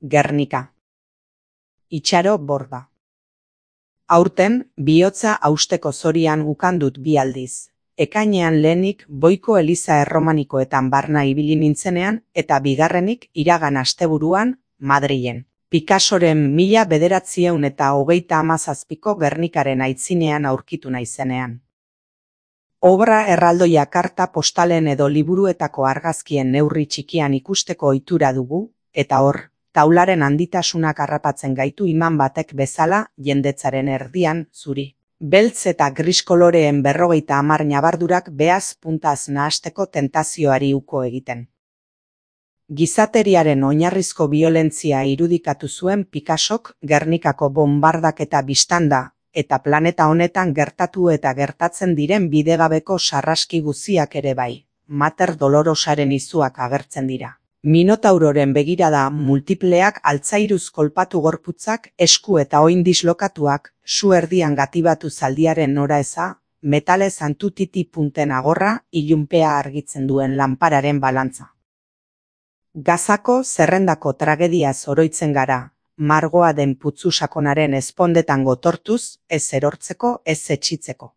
Gernika. Itxaro Borda. Aurten, bihotza hausteko zorian ukandut bi aldiz. Ekainean lehenik Boiko eliza erromanikoetan barna ibili nintzenean eta bigarrenik iragan asteburuan Madrilen. Picassoren 1927ko Gernikaren aitzinean aurkitu naizenean. Obra erraldoia karta postalen edo liburuetako argazkien neurri txikian ikusteko ohitura dugu, eta hor, taularen handitasunak harrapatzen gaitu iman batek bezala jendetzaren erdian zuri. Beltz eta gris koloreen 50 ñabardurak beaz puntaz nahasteko tentazioari uko egiten. Gizateriaren oinarrizko biolentzia irudikatu zuen Picassok Gernikako bonbardaketa bistanda, eta planeta honetan gertatu eta gertatzen diren bidegabeko sarraski guziak ere bai. Mater Dolorosaren izuak agertzen dira. Minotauroren begirada multipleak altzairuz kolpatu gorputzak, esku eta oin dislokatuak, su erdian gatibatu zaldiaren noraeza, metalez antutiti punten agorra, ilunpea argitzen duen lanpararen balantza. Gazako zerrendako tragediaz oroitzen gara, margoa den putzu sakonaren ezpondetan gotortuz, ez erortzeko, ez etxitzeko.